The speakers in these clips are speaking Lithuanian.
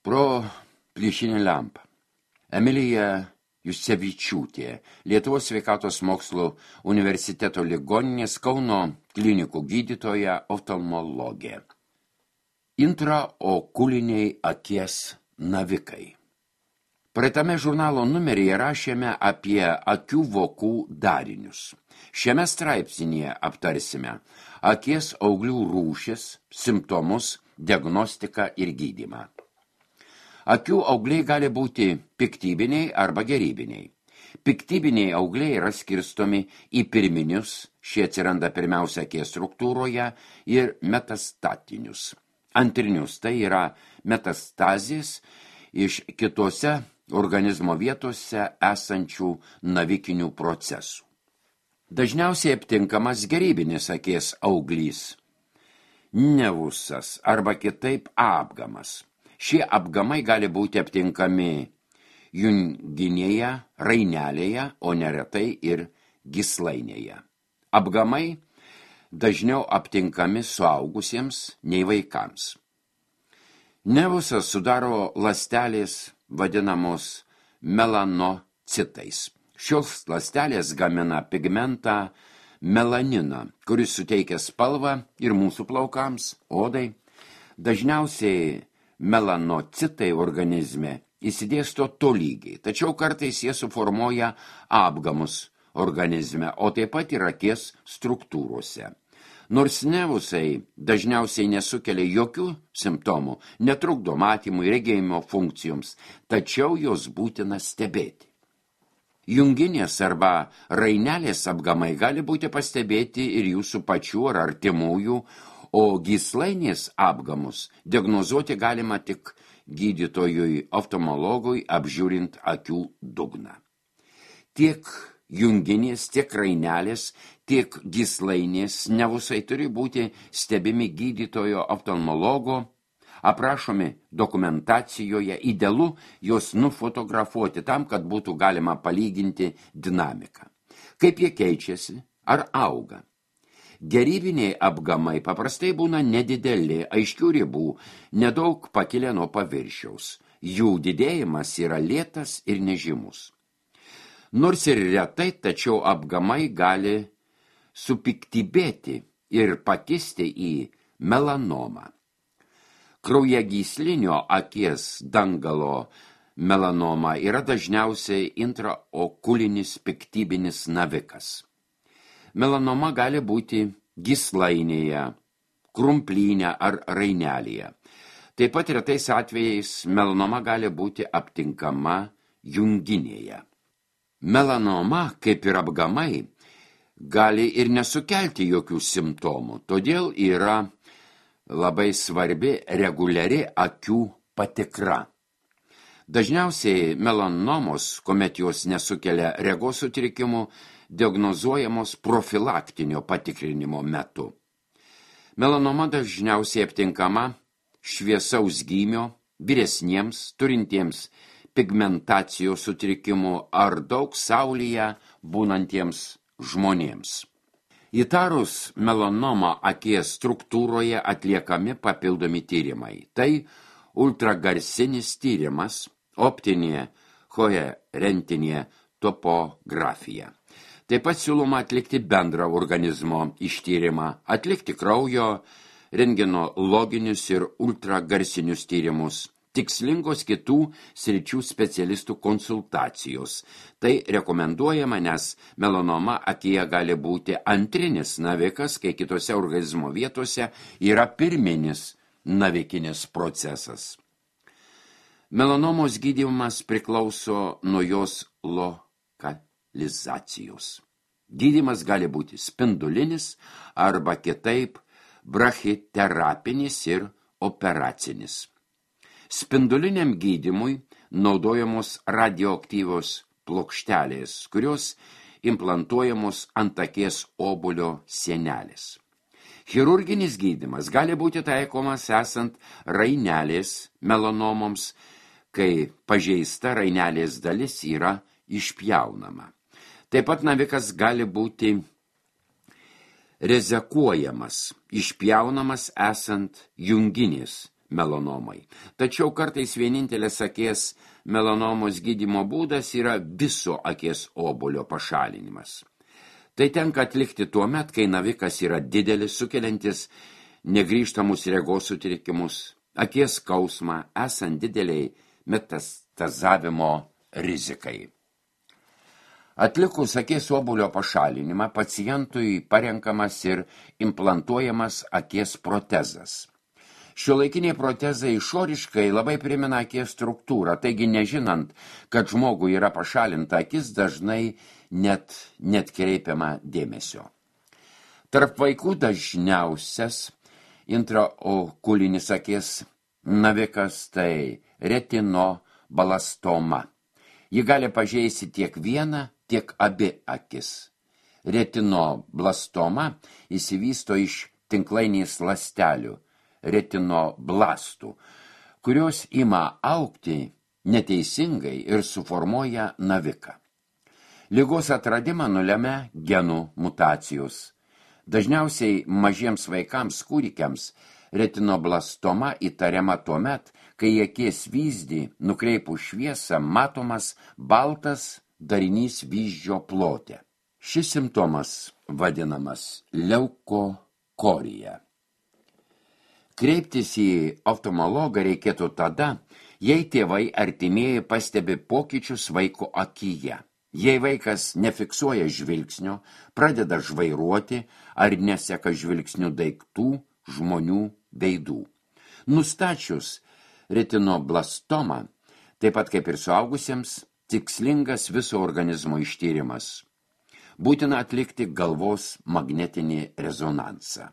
Pro plyšinę lempą. Emilija Jusevičiūtė, Lietuvos sveikatos mokslų universiteto ligoninės Kauno klinikų gydytoja oftalmologė. Intraokuliniai akies navikai. Praeitame žurnalo numeryje rašėme apie akių vokų darinius. Šiame straipsnyje aptarsime akies auglių rūšis, simptomus, diagnostiką ir gydymą. Akių augliai gali būti piktybiniai arba gerybiniai. Piktybiniai augliai yra skirstomi į pirminius, šie atsiranda pirmiausia akies struktūroje, ir metastatinius. Antrinius, tai yra metastazės iš kitose organizmo vietose esančių navikinių procesų. Dažniausiai aptinkamas gerybinis akies auglys, nevusas arba kitaip apgamas. Šie apgamai gali būti aptinkami junginėje, rainelėje, o neretai ir gyslainėje. Apgamai dažniau aptinkami suaugusiems nei vaikams. Nevusas sudaro ląstelės vadinamos melanocitais. Šios ląstelės gamina pigmentą melaniną, kuris suteikia spalvą ir mūsų plaukams, odai. Dažniausiai melanocitai organizme įsidėsto tolygiai, tačiau kartais jie suformuoja apgamus organizme, o taip pat ir akies struktūrose. Nors nevusai dažniausiai nesukelia jokių simptomų, netrukdo matymui, regėjimo funkcijoms, tačiau jos būtina stebėti. Junginės arba rainelės apgamai gali būti pastebėti ir jūsų pačių ar artimųjų, o gyslainės apgamus diagnozuoti galima tik gydytojui oftalmologui apžiūrint akių dugną. Tiek junginės, tiek rainelės, tiek gyslainės nevusai turi būti stebimi gydytojo oftalmologo, aprašomi dokumentacijoje, idealu juos nufotografuoti tam, kad būtų galima palyginti dinamiką. Kaip jie keičiasi ar auga? Gerybiniai apgamai paprastai būna nedideli, aiškių ribų, nedaug pakilę nuo paviršiaus. Jų didėjimas yra lėtas ir nežymus. Nors ir retai, tačiau apgamai gali supiktybėti ir pakisti į melanomą. Kraujagyslinio akies dangalo melanoma yra dažniausiai intraokulinis piktybinis navikas. Melanoma gali būti gyslainėje, krumplyne ar rainelėje. Taip pat retais atvejais melanoma gali būti aptinkama junginėje. Melanoma, kaip ir apgamai, gali ir nesukelti jokių simptomų, todėl yra labai svarbi reguliari akių patikra. Dažniausiai melanomos, kuomet jos nesukelia regos sutrikimų, diagnozuojamos profilaktinio patikrinimo metu. Melanoma dažniausiai aptinkama šviesaus gymio, vyresniems, turintiems pigmentacijos sutrikimų ar daug saulėje būnantiems žmonėms. Įtarus melanomą akies struktūroje atliekami papildomi tyrimai. Tai ultragarsinis tyrimas, optinė koherentinė topografija. Taip pat siūloma atlikti bendrą organizmo ištyrimą, atlikti kraujo, rentgenologinius ir ultragarsinius tyrimus, tikslingos kitų sričių specialistų konsultacijos. Tai rekomenduojama, nes melanoma akyje gali būti antrinis navikas, kai kitose organizmo vietose yra pirminis navikinis procesas. Melanomos gydymas priklauso nuo jos lokalizacijos. Gydymas gali būti spindulinis arba kitaip brachiterapinis ir operacinis. Spinduliniam gydymui naudojamos radioaktyvios plokštelės, kurios implantuojamos ant akies obuolio sienelės. Chirurginis gydymas gali būti taikomas esant rainelės melanomoms, kai pažeista rainelės dalis yra išpjaunama. Taip pat navikas gali būti rezekuojamas, išpjaunamas esant junginės melanomai. Tačiau kartais vienintelės akies melanomos gydymo būdas yra viso akies obuolio pašalinimas. Tai tenka atlikti tuo met, kai navikas yra didelis, sukeliantis negrįžtamus regos sutrikimus, akies skausmą, esant dideliai metastazavimo rizikai. Atlikus akies obuolio pašalinimą, pacientui parenkamas ir implantuojamas akies protezas. Šiuolaikiniai protezai išoriškai labai primena akies struktūrą, taigi nežinant, kad žmogui yra pašalinta akis, dažnai net kreipiama dėmesio. Tarp vaikų dažniausias intraokulinis akies navikas tai retinoblastoma. Ji gali pažeisti tiek vieną, tiek abi akis. Retinoblastoma išsivysto iš tinklainės ląstelių, retinoblastų, kurios ima augti neteisingai ir suformuoja naviką. Ligos atradimą nulemia genų mutacijos. Dažniausiai mažiems vaikams, kūdikiams, retinoblastoma įtariama tuomet, kai į akies vyzdį nukreipus šviesą matomas baltas darinys vyzdžio plote. Šis simptomas vadinamas leukokorija. Kreiptis į oftalmologą reikėtų tada, jei tėvai artimieji pastebi pokyčius vaiko akyje. Jei vaikas nefiksuoja žvilgsnio, pradeda žvairuoti ar neseka žvilgsnių daiktų, žmonių, veidų. Nustačius retinoblastomą, taip pat kaip ir suaugusiems, tikslingas viso organizmo ištyrimas. Būtina atlikti galvos magnetinį rezonansą.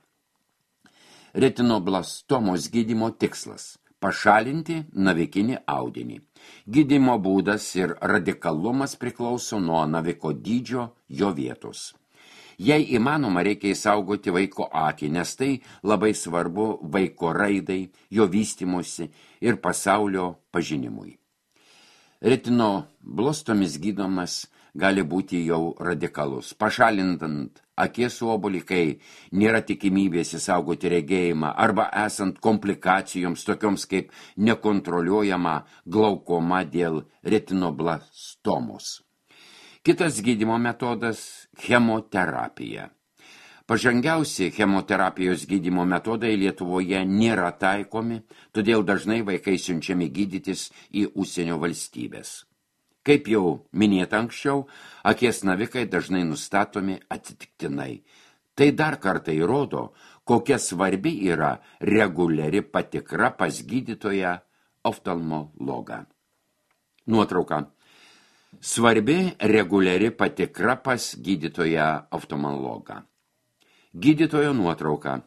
Retinoblastomos gydymo tikslas – pašalinti navikinį audinį. Gydymo būdas ir radikalumas priklauso nuo naviko dydžio, jo vietos. Jei įmanoma, reikia įsaugoti vaiko akį, nes tai labai svarbu vaiko raidai, jo vystymusi ir pasaulio pažinimui. Retinoblastomis gydomas gali būti jau radikalus. Pašalintant akies obuolį, kai nėra tikimybės įsaugoti regėjimą arba esant komplikacijoms tokioms kaip nekontroliuojama glaukoma dėl retinoblastomos. Kitas gydymo metodas – chemoterapija. Pažangiausi chemoterapijos gydymo metodai Lietuvoje nėra taikomi, todėl dažnai vaikai siunčiami gydytis į užsienio valstybės. Kaip jau minėta anksčiau, akies navikai dažnai nustatomi atsitiktinai. Tai dar kartą įrodo, kokia svarbi yra reguliari patikra pas gydytoją oftalmologą. Nuotrauka. Svarbi reguliari patikra pas gydytoją oftalmologą. Gydytojo nuotrauka.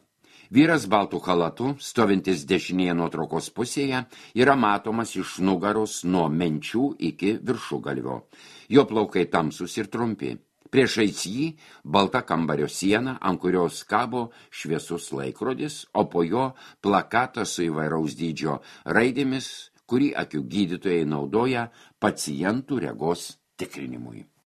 Vyras baltų chalatu, stovintis dešinėje nuotraukos pusėje, yra matomas iš nugaros nuo menčių iki viršugalvio. Jo plaukai tamsus ir trumpi. Priešais jį balta kambario siena, ant kurios kabo šviesus laikrodis, o po jo plakatas su įvairaus dydžio raidėmis, kurį akių gydytojai naudoja pacientų regos tikrinimui.